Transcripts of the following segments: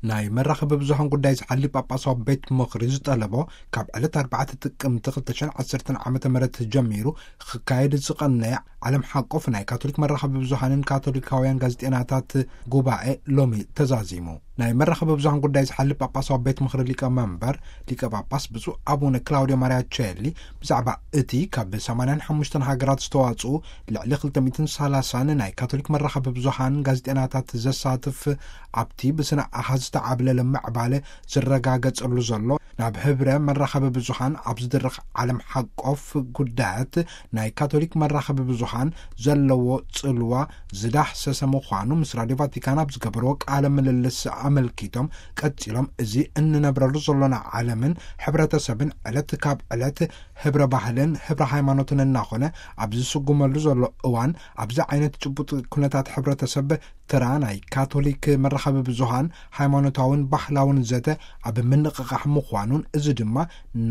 ናይ መራኸቢ ብዙሃን ጉዳይ ዝሓሊ ጳጳሳዊ ቤት ምኽሪ ዝጠለቦ፣ ካብ ዕለት ኣርባዕተ ጥቅምቲ ክልተ ሽሕን ዓሰርተን ዓመተ ምህረት ጀሚሩ ክካየድ ዝቐነየ ዓለም ሓቆፍ ናይ ካቶሊክ መራኸቢ ብዙሃንን ካቶሊካውያን ጋዜጠኛታት ጉባኤ ሎሚ ተዛዚሙ። ናይ መራኸቢ ብዙሃን ጉዳይ ዝሓሊ ጳጳሳዊ ቤት ምኽሪ ሊቀ መንበር ሊቀ ጳጳስ ብፁዕ ኣቡነ ክላውዲዮ ማሪያ ቼሊ ብዛዕባ እቲ ካብ ሰማንያን ሓሙሽተን ሃገራት ዝተዋጽኡ ልዕሊ ክልተ ሚእትን ሰላሳን ናይ ካቶሊክ መራኸቢ ብዙሃን ጋዜጠኛታት ዘሳትፍ፣ ኣብቲ ብስነ ኣሃዝ ዝተዓብለለ ምዕባለ ዝረጋገጸሉ ዘሎ፣ ናብ ህብረ መራኸቢ ብዙሃን ኣብ ዝድረኽ ዓለም ሓቆፍ ጉዳያት ናይ ካቶሊክ መራኸቢ ብዙሃን ዘለዎ ጽልዋ ዝዳህሰሰ ምዃኑ ምስ ራድዮ ቫቲካን ኣብ ዝገበርዎ ቃለ ምልልስ ኣመልኪቶም፣ ቀጺሎም፣ እዚ እንነብረሉ ዘሎና ዓለምን ሕብረተሰብን ዕለት ካብ ዕለት ህብረ ባህልን ህብረ ሃይማኖትን እናኾነ ኣብ ዝስጉመሉ ዘሎ እዋን፣ ኣብዚ ዓይነት ጭቡጥ ኩነታት ሕብረተሰብ፣ ተራ ናይ ካቶሊክ መራኸቢ ብዙሃን ሃይማኖታውን ባህላውን ዘተ ኣብ ምንቕቓሕ ምዃኑን፣ እዚ ድማ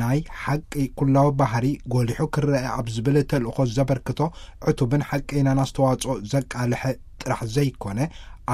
ናይ ሓቂ ኩላዊ ባህሪ ጎሊሑ ክረአ ኣብ ዝብል ተልእኾ ዘበርክቶ ዕቱብን ሓቀይናን ኣስተዋጽኦ ዘቃልሐ ጥራሕ ዘይኮነ፣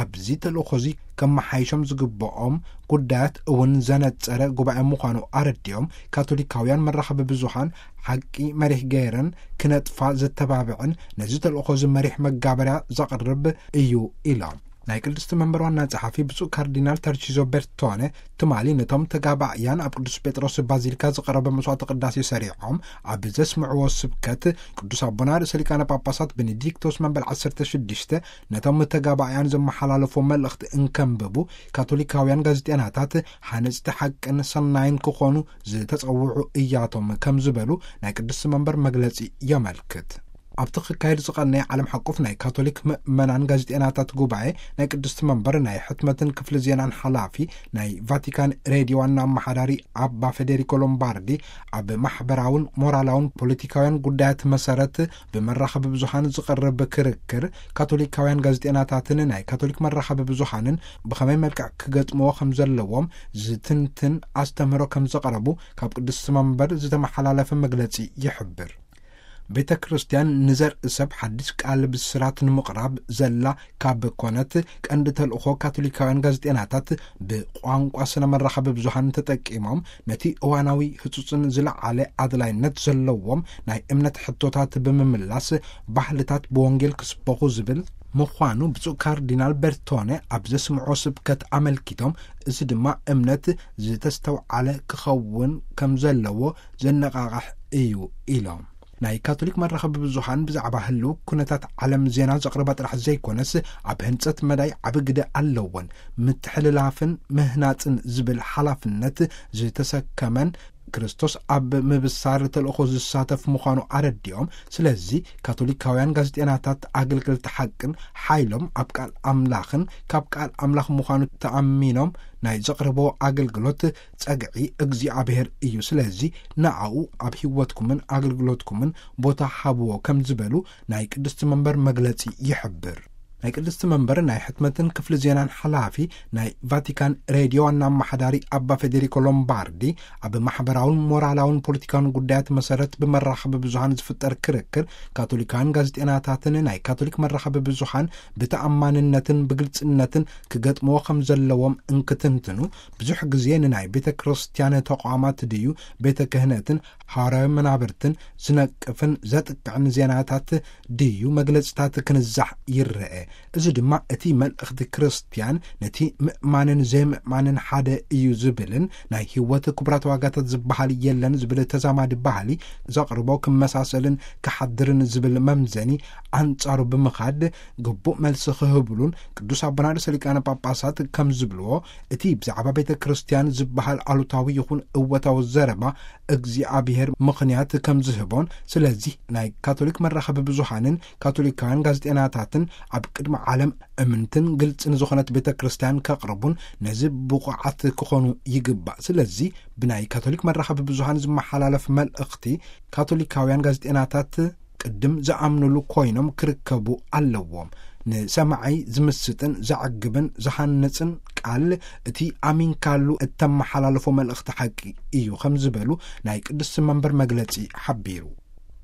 ኣብዚ ተልእኾዚ ከመሓይሾም ዝግብኦም ጉዳያት እውን ዘነጸረ ጉባኤ ምዃኑ ኣረዲኦም፣ ካቶሊካውያን መራኸቢ ብዙሃን ሓቂ መሪሕ ገይረን ክነጥፋ ዘተባብዕን ነዚ ተልእኾዚ መሪሕ መጋበርያ ዘቕርብ እዩ ኢሎም። ናይ ቅድስቲ መንበር ዋና ጸሓፊ ብፁዕ ካርዲናል ተርቺዞ ቤርቶነ ትማሊ ነቶም ተጋባእያን ኣብ ቅዱስ ጴጥሮስ ባዚሊካ ዝቐረበ መስዋዕተ ቅዳሴ ሰሪዖም ኣብ ዘስምዕዎ ስብከት፣ ቅዱስ ኣቦና ርእሰ ሊቃነ ጳጳሳት ቤኔዲክቶስ መበል ዓሰርተ ሽዱሽተ ነቶም ተጋባእያን ዘመሓላለፎ መልእኽቲ እንከንብቡ፣ ካቶሊካውያን ጋዜጠናታት ሃነጽቲ ሓቅን ሰናይን ክኾኑ ዝተጸውዑ እያቶም ከም ዝበሉ ናይ ቅድስቲ መንበር መግለጺ የመልክት። ኣብቲ ክካየድ ዝቐነየ ዓለም ሓቆፍ ናይ ካቶሊክ ምእመናን ጋዜጠናታት ጉባኤ፣ ናይ ቅድስቲ መንበር ናይ ሕትመትን ክፍሊ ዜናን ሓላፊ፣ ናይ ቫቲካን ሬድዮ ዋና ኣመሓዳሪ ኣባ ፌዴሪኮ ሎምባርዲ፣ ኣብ ማሕበራውን ሞራላውን ፖለቲካውያን ጉዳያት መሰረት ብመራኸቢ ብዙሃን ዝቐርብ ክርክር፣ ካቶሊካውያን ጋዜጠናታትን ናይ ካቶሊክ መራኸቢ ብዙሃንን ብኸመይ መልክዕ ክገጥምዎ ከም ዘለዎም ዝትንትን ኣስተምህሮ ከም ዘቕረቡ ካብ ቅድስቲ መንበር ዝተመሓላለፈ መግለጺ ይሕብር። ቤተ ክርስቲያን ንዘርኢ ሰብ ሓድሽ ቃል ብስራት ንምቕራብ ዘላ ካብ ኮነት፣ ቀንዲ ተልእኾ ካቶሊካውያን ጋዜጠናታት ብቋንቋ ስነ መራኸቢ ብዙሃን ተጠቂሞም ነቲ እዋናዊ ህጹጽን ዝለዓለ ኣድላይነት ዘለዎም ናይ እምነት ሕቶታት ብምምላስ፣ ባህልታት ብወንጌል ክስበኹ ዝብል ምዃኑ ብፁዕ ካርዲናል ቤርቶነ ኣብ ዘስምዖ ስብከት ኣመልኪቶም፣ እዚ ድማ እምነት ዝተስተውዓለ ክኸውን ከም ዘለዎ ዘነቓቕሕ እዩ ኢሎም። ናይ ካቶሊክ መራኸቢ ብዙሃን ብዛዕባ ህልው ኩነታት ዓለም ዜና ዘቕርባ ጥራሕ ዘይኮነስ፣ ኣብ ህንጸት መዳይ ዓቢ ግደ ኣለወን። ምትሕልላፍን ምህናጽን ዝብል ሓላፍነት ዝተሰከመን፣ ክርስቶስ ኣብ ምብሳር ተልእኾ ዝሳተፍ ምዃኑ ኣረዲኦም፣ ስለዚ ካቶሊካውያን ጋዜጠናታት ኣገልገልቲ ሓቅን ሓይሎም ኣብ ቃል ኣምላኽን ካብ ቃል ኣምላኽ ምዃኑ ተኣሚኖም ናይ ዘቕርቦ ኣገልግሎት ጸግዒ እግዚኣብሔር እዩ። ስለዚ ንኣኡ ኣብ ህይወትኩምን ኣገልግሎትኩምን ቦታ ሃብዎ ከም ዝበሉ ናይ ቅድስቲ መንበር መግለጺ ይሕብር። ናይ ቅድስቲ መንበር ናይ ሕትመትን ክፍሊ ዜናን ሓላፊ፣ ናይ ቫቲካን ሬድዮ ዋና ኣመሓዳሪ ኣባ ፌዴሪኮ ሎምባርዲ፣ ኣብ ማሕበራውን ሞራላውን ፖለቲካውን ጉዳያት መሰረት ብመራኸቢ ብዙሃን ዝፍጠር ክርክር፣ ካቶሊካውያን ጋዜጠናታትን ናይ ካቶሊክ መራኸቢ ብዙሃን ብተኣማንነትን ብግልጽነትን ክገጥምዎ ከም ዘለዎም እንክትንትኑ፣ ብዙሕ ግዜ ንናይ ቤተ ክርስቲያን ተቋማት ድዩ፣ ቤተ ክህነትን ሃዋርያዊ መናብርትን ዝነቅፍን ዘጥቅዕን ዜናታት ድዩ መግለጽታት ክንዛሕ ይረአ። እዚ ድማ እቲ መልእኽቲ ክርስትያን ነቲ ምእማንን ዘይምእማንን ሓደ እዩ ዝብልን፣ ናይ ህይወት ክቡራት ዋጋታት ዝበሃል የለን ዝብል ተዛማዲ ባህሊ ዘቕርቦ ክመሳሰልን ክሓድርን ዝብል መምዘኒ ኣንጻሩ ብምኻድ ግቡእ መልሲ ክህብሉን፣ ቅዱስ ኣቦና ርእሰ ሊቃነ ጳጳሳት ከም ዝብልዎ፣ እቲ ብዛዕባ ቤተ ክርስቲያን ዝበሃል ኣሉታዊ ይኹን እወታዊ ዘረባ እግዚኣብሔር ምኽንያት ከም ዝህቦን፣ ስለዚህ ናይ ካቶሊክ መራኸቢ ብዙሃንን ካቶሊካውያን ጋዜጠናታትን ኣብ ቅድሚ ዓለም እምንትን ግልጽን ዝኾነት ቤተ ክርስቲያን ከቕርቡን ነዚ ብቑዓት ክኾኑ ይግባእ። ስለዚ ብናይ ካቶሊክ መራኸቢ ብዙሃን ዝመሓላለፍ መልእኽቲ ካቶሊካውያን ጋዜጠናታት ቅድም ዝኣምኑሉ ኮይኖም ክርከቡ ኣለዎም። ንሰማዓይ ዝምስጥን ዘዕግብን ዝሃንጽን ቃል እቲ ኣሚንካሉ እተመሓላልፎ መልእኽቲ ሓቂ እዩ ከም ዝበሉ ናይ ቅድስቲ መንበር መግለጺ ሓቢሩ።